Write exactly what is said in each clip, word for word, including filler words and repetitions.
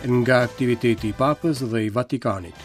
Nga aktiviteti i Papës dhe i Vatikanit.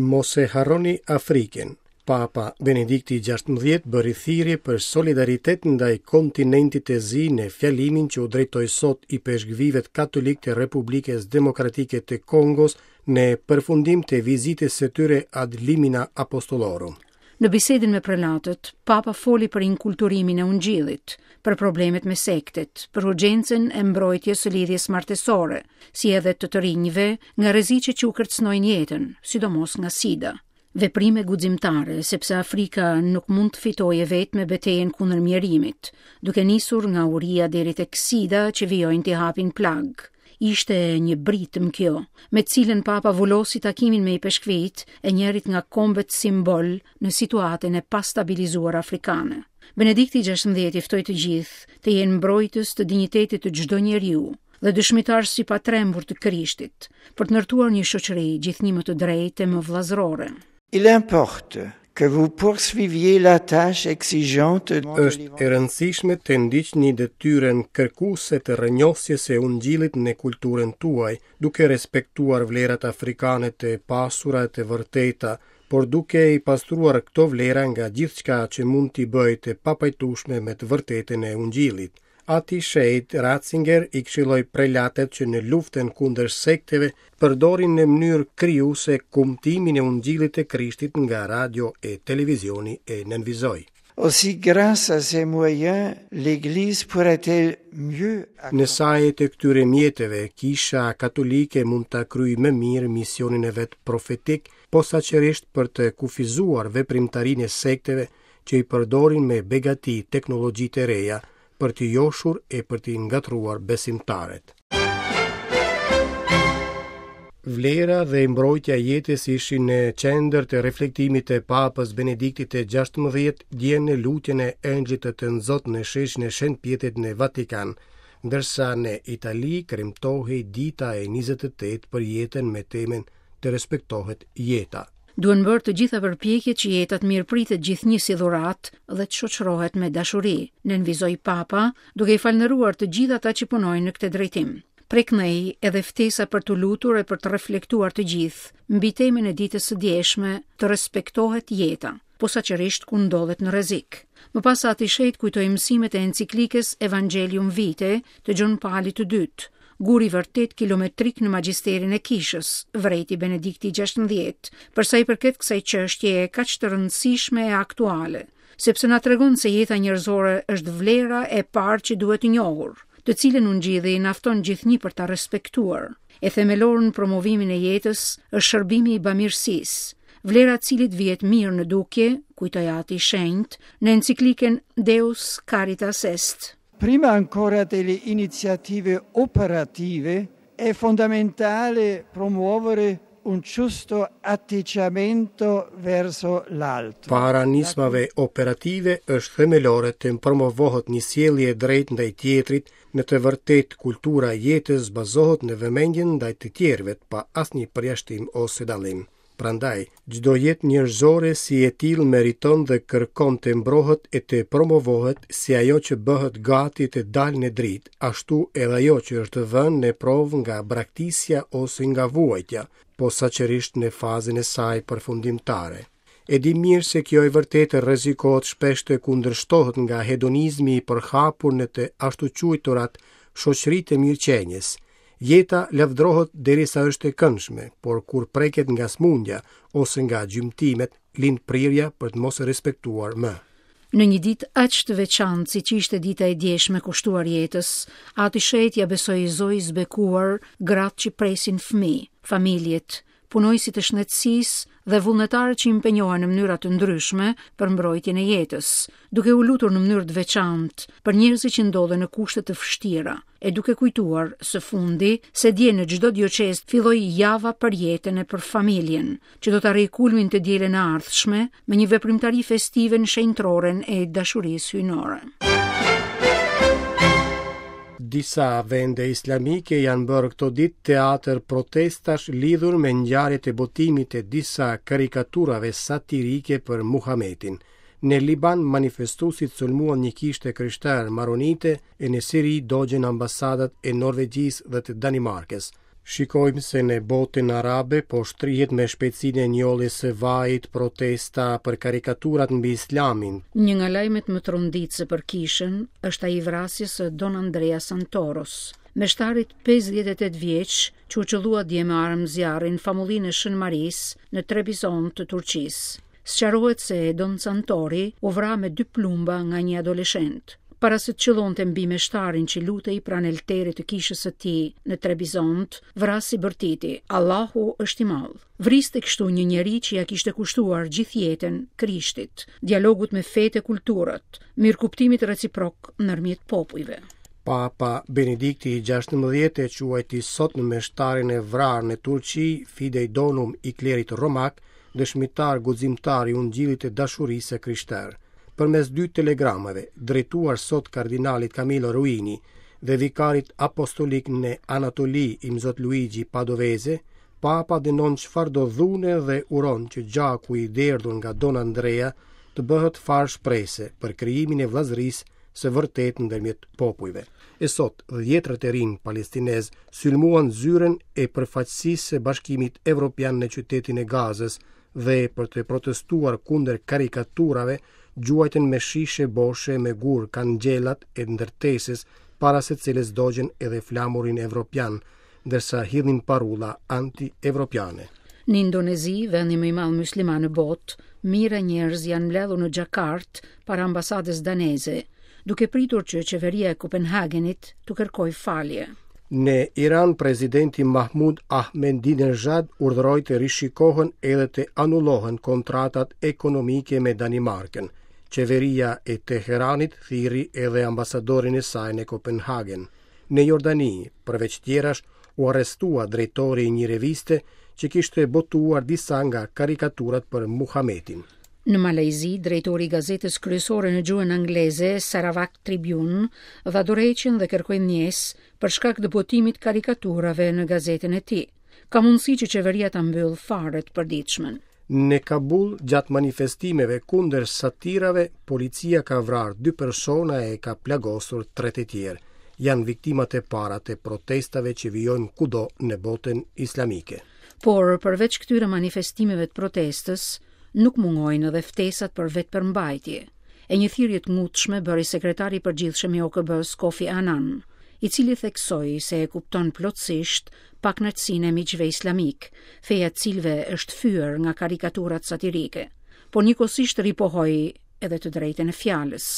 Mos e harroni Afrikën. Papa Benedikti gjashtëmbëdhjetë bëri thirrje për solidaritet ndaj kontinentit të zi në fjalimin që u drejtoi sot ipeshkvijve katolik të Republikës Demokratike të Kongos në përfundim të vizitës së tyre ad limina apostolorum. Në bisedën me prelatët, Papa foli për inkulturimin e ungjillit, për problemet me sektet, për urgjencën e mbrojtjes së lidhjes martesore, si edhe të të rinjve nga rreziqet që u kërcënojnë jetën, sidomos nga SIDA. Veprime guximtare, sepse Afrika nuk mund të fitojë vetë me betejën kundër mjerimit, duke nisur nga uria deri tek SIDA që vijojnë t'i hapin plagë. Ishte një britëm kjo, me cilën Papa vulosi takimin me ipeshkvijt e njërit nga kombet simbol në situatën e pastabilizuar afrikane. Benedikti gjashtëmbëdhjetë i ftoi të gjithë të jenë mbrojtës të dinjitetit të çdo njeriu dhe dëshmitar si patrembur të Krishtit, për të ndërtuar një shoqëri gjithnjë më të drejtë e më vëllazërore. Il importe que vous poursuiviez la tâche exigeante. Është e rëndësishme të ndiqni detyrën kërkuese të rrënjosjes së ungjillit në kulturën tuaj, duke respektuar vlerat afrikane të pasura e të vërteta, por duke i pastruar këto vlera nga gjithçka që mund t'i bëjë të papajtueshme me të vërtetën e ungjillit. Ati Shenjt Ratzinger i këshilloi prelatet që në luftën kundër sekteve përdorin në mënyrë krijuese kumtimin e ungjillit të Krishtit nga radio e televizioni e nënvizoi. Aussi, grâce à ces moyens, l'Église pourrait-elle mieux Në saje të këtyre mjeteve, Kisha Katolike mund ta kryejë më mirë misionin e vet profetik, posaçërisht për të kufizuar veprimtarinë e sekteve që i përdorin me begati teknologjitë e reja për t'i joshur e për t'i ngatruar besimtarët. Vlera dhe mbrojtja e jetës ishin në qendër të reflektimit të Papës Benediktit të gjashtëmbëdhjetë dje në lutjen e Engjëllit të Tënzot në sheshin e Shën Pjetrit në Vatikan, ndërsa në Itali kremtohej dita e njëzet e tetë për jetën me temën Të respektohet jeta. Duhen bërë të gjitha përpjekjet që jeta të mirëpritet gjithnjë si dhuratë dhe të shoqërohet me dashuri, nënvizoi Papa, duke i falënderuar të gjithë ata që punojnë në këtë drejtim. Preknej edhe ftesa për të lutur e për të reflektuar të gjithë mbi temën e ditës së djeshme, të respektohet jeta, posaçërisht kur ndodhet në rrezik. Më pas Ati Shenjt kujtoi mësimet e enciklikës Evangelium Vitae të Gjon Palit të dytë, guri vërtet kilometrik në magjisterin e kishës, vrejti Benedikti gjashtëmbëdhjetë, për sa i përket kësaj çështjeje kaq të rëndësishme e aktuale, sepse na tregon se jeta njerëzore është vlera e parë që duhet njohur, të cilën ungjilli na fton gjithnjë për ta respektuar. E themelor në promovimin e jetës është shërbimi i bamirësisë, vlera e cilit vihet mirë në dukje, kujtoi Ati i Shenjt, në enciklikën Deus Caritas Est. Prima ancora delle iniziative operative è fondamentale promuovere un giusto atteggiamento verso l'altro. Para nismave operative është themelore të promovohet një sjellje e drejtë ndaj tjetrit. Në të vërtetë kultura e jetës bazohet në vëmendjen ndaj të tjerëve pa asnjë përjashtim ose dallim. Prandaj, çdo jetë njerëzore si e tillë meriton dhe kërkon të mbrohet e të promovohet si ajo që bëhet gati të dalë në dritë, ashtu edhe ajo që është vënë në provë nga braktisja ose nga vuajtja, posaçërisht në fazën e saj përfundimtare. E di mirë se kjo e vërtetë rrezikohet shpesh të kundërshtohet nga hedonizmi i përhapur në të ashtuquajturat shoqëritë e mirëqenies. Jeta lavdrohet derisa është e këndshme, por kur preket nga smundja ose nga gjymtimet, lind prirja për të mos e respektuar më. Në një ditë aq të veçantë siç ishte dita e djeshme kushtuar jetës, Ati Shenjt ja besoi Zojës bekuar gratë që presin fëmijë, familjet, punojësit e shëndetësisë dhe vullnetarët që impenjohen në mënyra të ndryshme për mbrojtjen e jetës, duke u lutur në mënyrë të veçantë për njerëzit që ndodhen në kushte të vështira, e duke kujtuar së fundi se dje në çdo dioqezë filloi java për jetën e për familjen, që do të arrijë kulmin të dielën e ardhshme me një veprimtari festive në shenjtroren e dashurisë hyjnore. Disa vende islamike janë bërë këto ditë teatr protestash lidhur me ngjarjet e botimit të disa karikaturave satirike për Muhametin. Në Liban, manifestuesit sulmuan një kishë të krishterë maronite e në Siri dogjën ambasadat e Norvegjisë dhe të Danimarkës. Shikojmë se në botën arabe po shtrihet me shpejtësinë e njolljes së vajit protesta për karikaturat mbi Islamin. Një nga lajmet më tronditëse për kishën është ai i vrasjes së Don Andrea Santoros, meshtarit pesëdhjetë e tetë vjeç që u qëllua dje me armë zjarri në famullinë e Shën Marisë në Trebizond të Turqisë. Sqarohet se Don Santori u vra me dy plumba nga një adoleshent. Para se të qëllonte mbi meshtarin që lutej pranë elterit të kishës së tij në Trebizond, vrasi bërtiti: Allahu është i madh. Vriste kështu një njeri që ja kishte kushtuar gjithë jetën Krishtit, dialogut me fetë e kulturat, mirëkuptimit reciprok ndërmjet popujve. Papa Benedikti i gjashtëmbëdhjetë e quajti sot në meshtarin e vrarë në Turqi Fidei Donum i klerit romak, dëshmitar guximtar i ungjillit të dashurisë së krishterë. Përmes dy telegramave, drejtuar sot kardinalit Camillo Ruini dhe vikarit apostolik në Anatoli Imzot Luigi Padovese, Papa dënon çfarëdo dhune dhe uron që gjaku i derdhur nga Don Andrea të bëhet farë shprese për krijimin e vëllazërisë së vërtetë ndërmjet popujve. E sot, dhjetrat e rinj palestinez sulmuan zyrën e përfaqësisë së Bashkimit Evropian në qytetin e Gazës dhe për të protestuar kundër karikaturave, gjuajtën me shishe boshe me gur kangjellat e ndërtesës para se cilës dogjën edhe flamurin evropian, ndërsa hidhnin parulla anti-evropiane. Në Indonezi, vendi më i madh musliman në botë, mijëra njerëz janë mbledhur në Jakarta para ambasadës daneze, duke pritur që qeveria e Kopenhagenit t'u kërkojë falje. Në Iran, presidenti Mahmoud Ahmadinejad urdhëroi të rishikohen edhe të anullohen kontratat ekonomike me Danimarkën. Qeveria e Teheranit thirri edhe ambasadorin e saj në Kopenhagen. Në Jordani, përveç tjerash, u arrestua drejtori i një reviste që kishte botuar disa nga karikaturat për Muhametin. Në Malajzi, drejtori i gazetës kryesore në gjuhën angleze, Sarawak Tribune, dha dorëheqjen dhe kërkoi ndjesë për shkak të botimit karikaturave në gazetën e tij. Ka mundësi që qeveria ta mbyllë fare të përditshmen. Në Kabul, gjatë manifestimeve kundër satirave, policia ka vrarë dy persona e ka plagosur tre të tjerë. Janë viktimat e para të protestave që vijojnë kudo në botën islamike. Por përveç këtyre manifestimeve të protestës, nuk mungojnë edhe ftesat për vetëpërmbajtje. E një thirrje të ngutshme bëri sekretari i përgjithshëm i O K B-s Kofi Annan, i cili theksoi se e kupton plotësisht pakënaqësinë e miqve islamik, feja e cilëve është fyer nga karikaturat satirike, por njëkohësisht ripohoi edhe të drejtën e fjalës.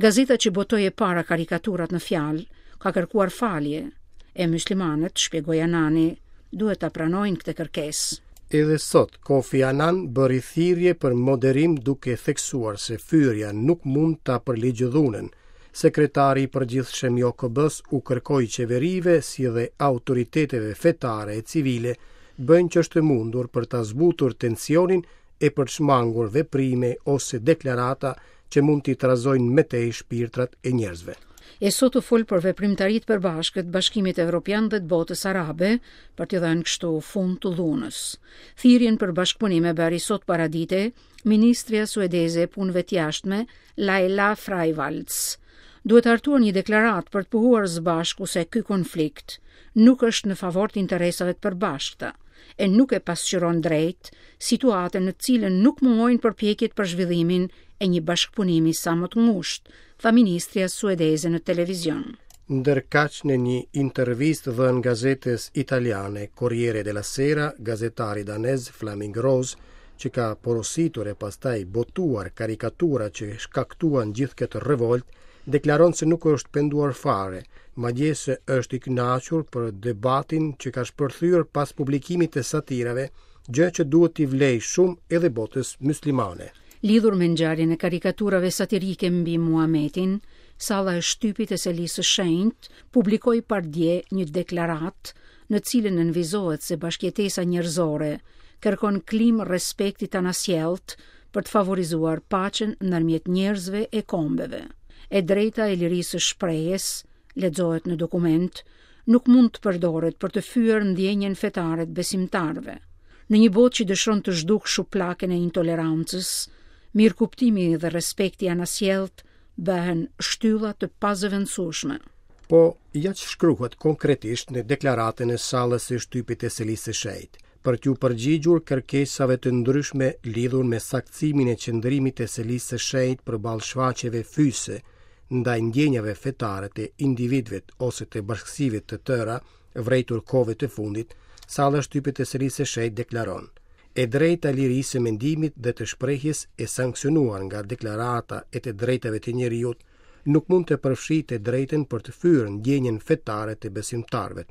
Gazeta që botoi e para karikaturat në fjalë ka kërkuar falje, e muslimanët, shpjegoi Annani, duhet ta pranojnë këtë kërkesë. Edhe sot, Kofi Annan bëri thirrje për moderim duke theksuar se fyerja nuk mund ta përligjë dhunën. Sekretari i përgjithshëm i O K B-s u kërkoi qeverive si dhe autoriteteve fetare e civile bëjnë që është e mundur për ta zbutur tensionin e për të shmangur veprime ose deklarata që mund t'i trazojnë më tej shpirtrat e njerëzve. E sot u fol për veprimtaritë përbashkët Bashkimit Evropian dhe të botës arabe për t'i dhënë kështu fund të dhunës. Thirrjen për bashkëpunim e bëri sot paradite ministrja suedeze e punëve të jashtme Laila Freivalds. Duhet hartuar një deklaratë për të pohuar së bashku se ky konflikt nuk është në favor të interesave të përbashkëta e nuk e pasqyron drejt situatën në të cilën nuk mungojnë përpjekjet për zhvillimin e një bashkëpunimi sa më të ngushtë, tha ministrja suedeze në televizion. Ndërkaq në një intervistë dhënë gazetës italiane Corriere della Sera, gazetari danez Flemming Rose, që ka porositur e pastaj botuar karikatura që shkaktuan gjithë këtë revolt, deklaron se nuk është penduar fare, madje se është i kënaqur për debatin që ka shpërthyer pas publikimit të satirave, gjë që duhet t'i vlejë shumë edhe botës muslimane. Lidhur me ngjarjen e karikaturave satirike mbi Muhametin, salla e shtypit e Selisë së Shenjtë publikoi pardje një deklaratë në cilën nënvizohet se bashkëjetesa njerëzore kërkon klimë respekti të anasjelltë për të favorizuar paqen ndërmjet njerëzve e kombeve. E drejta e lirisë së shprehjes, lexohet në dokument, nuk mund të përdoret për të fyer ndjenjën fetare të besimtarëve. Në një botë që dëshiron të zhdukë shuplakën e intolerancës, Mirëkuptimi dhe respekti anasjelltë bëhen shtylla të pazëvendësueshme. Po, ja që shkruhet konkretisht në deklaratën e sallës së shtypit të Selisë së Shenjtë, për t'ju përgjigjur kërkesave të ndryshme lidhur me saktësimin e qëndrimit të Selisë së Shenjtë përballë shfaqjeve fyese ndaj ndjenjave fetare të individëve ose të bashkësive të tëra, vrejtur kohëve të fundit, salla e shtypit të Selisë së Shenjtë deklaron: E drejta e lirisë së mendimit dhe të shprehjes e sanksionuar nga deklarata e të drejtave të njeriut nuk mund të përfshijë të drejtën për të fyer ndjenjën fetare të besimtarëve.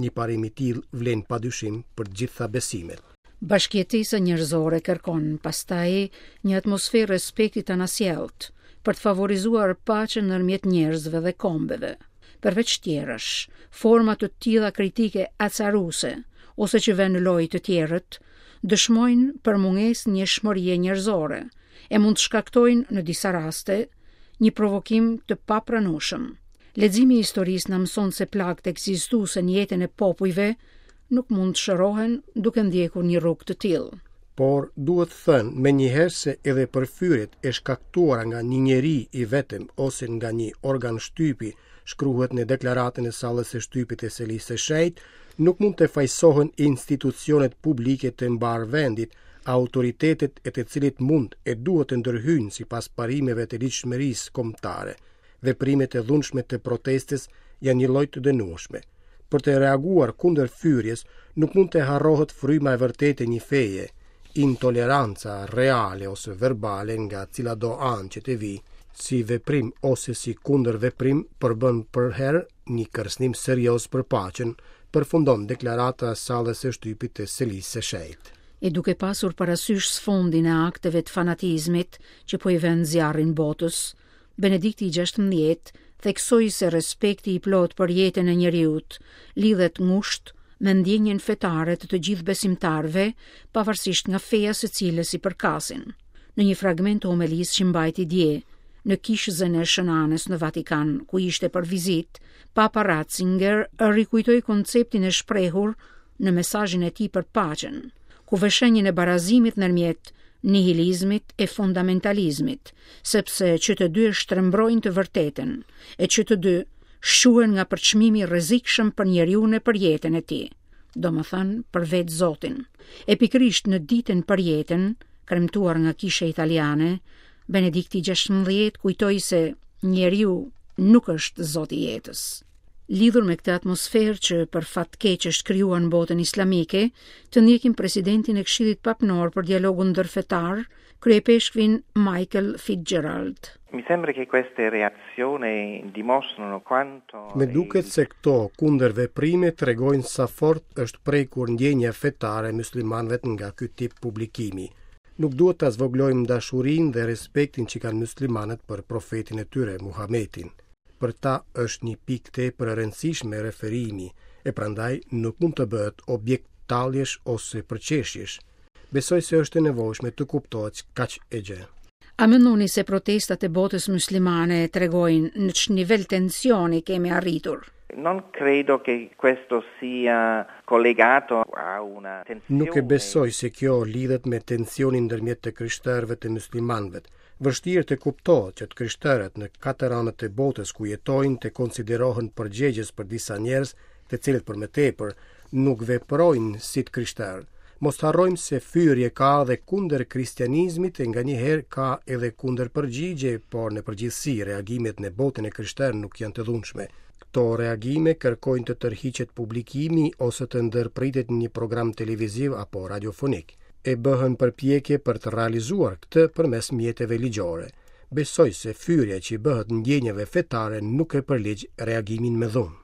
Një parim i tillë vlen padyshim për të gjitha besimet. Bashkëjetesa njerëzore kërkon pastaj një atmosferë respekti të anasjelltë për të favorizuar paqen ndërmjet njerëzve dhe kombeve. Përveç tjerash, forma të tilla kritike acaruse ose që vënë në lojë të tjerët dëshmojnë për mungesë ndjeshmërie njerëzore e mund të shkaktojnë në disa raste një provokim të papranueshëm. Leximi i historisë na mëson se plagët ekzistuese në jetën e popujve nuk mund të shërohen duke ndjekur një rrugë të tillë. Por duhet thënë me njëherë se edhe për fyerjet e shkaktuara nga një njeri i vetëm ose nga një organ shtypi, shkruhet në deklaratën e sallës së shtypit të Selisë së Shenjtë, nuk mund të fajsohen institucionet publike të mbar vendit, autoritetet e të cilit mund e duhet të ndërhyjnë sipas parimeve të ligjshmërisë kombëtare. Veprimet e dhunshme të protestës janë një lloj të dënueshme. Për të reaguar kundër fyerjes, nuk mund të harrohet fryma e vërtetë e një feje, intoleranca reale ose verbale nga cilado anë që të vi, si veprim ose si kundërveprim përbën përherë një kërcënim serioz për paqen, përfundon deklarata e sallës së shtypit të Selisë së Shenjtë. E duke pasur parasysh sfondin e akteve të fanatizmit që po i vënë zjarrin botës, Benedikti i gjashtëmbëdhjetë theksoi se respekti i plotë për jetën e njeriut lidhet ngushtë me ndjenjën fetare të të gjithë besimtarëve, pavarësisht nga feja së cilës i përkasin. Në një fragment të homelisë që mbajti dje në kishëzën e Shën Anës në Vatikan, ku ishte për vizitë, Papa Ratzinger rikujtoi konceptin e shprehur në mesazhin e tij për paqen, ku vë shenjën e barazimit ndërmjet nihilizmit e fundamentalizmit, sepse që të dy e shtrembrojnë të vërtetën, e që të dy shquhen nga përçmimi i rrezikshëm për njeriun e për jetën e tij, domethënë për vetë Zotin. E pikërisht në ditën për jetën, kremtuar nga kisha italiane, Benedikti i gjashtëmbëdhjetë kujtoi se njeriu nuk është Zoti i jetës. Lidhur me këtë atmosferë që për fat keq është krijuar në botën islamike, të ndjekim presidentin e Këshillit Papnor për dialogun ndërfetar, kryepeshkvin Michael Fitzgerald. Mi sembra che queste reazioni dimostrano quanto Me duket se këto kundërveprime tregojnë sa fort është prekur ndjenja fetare e muslimanëve nga ky tip publikimi. Nuk duhet ta zvoglojmë dashurinë dhe respektin që kanë muslimanët për profetin e tyre, Muhametin. Për ta është një pikë tepër e rëndësishme referimi, e prandaj nuk mund të bëhet objekt talljesh ose përqeshjesh. Besoj se është e nevojshme të kuptohet kaq e gjë. A mendoni se protestat e botës muslimane tregojnë në ç'nivel tensioni kemi arritur? Non credo che questo sia collegato a una tensione. Nuk e besoj se kjo lidhet me tensionin ndërmjet të krishterëve të muslimanëve. Vështirë të kuptohet që të krishterët në katër anët e botës ku jetojnë të konsiderohen përgjegjës për disa njerëz, të cilët për më tepër nuk veprojnë si të krishterë. Mos të harrojmë se fyerje ka dhe kundër kristianizmit e nganjëherë ka edhe kundër përgjigje, por në përgjithësi reagimet në botën e krishterë nuk janë të dhunshme. Këto reagime kërkojnë të tërhiqet publikimi ose të ndërpritet një program televiziv apo radiofonik. E bëhen përpjekje për të realizuar këtë përmes mjeteve ligjore. Besoj se fyerja që i bëhet ndjenjave fetare nuk e përligj reagimin me dhunë.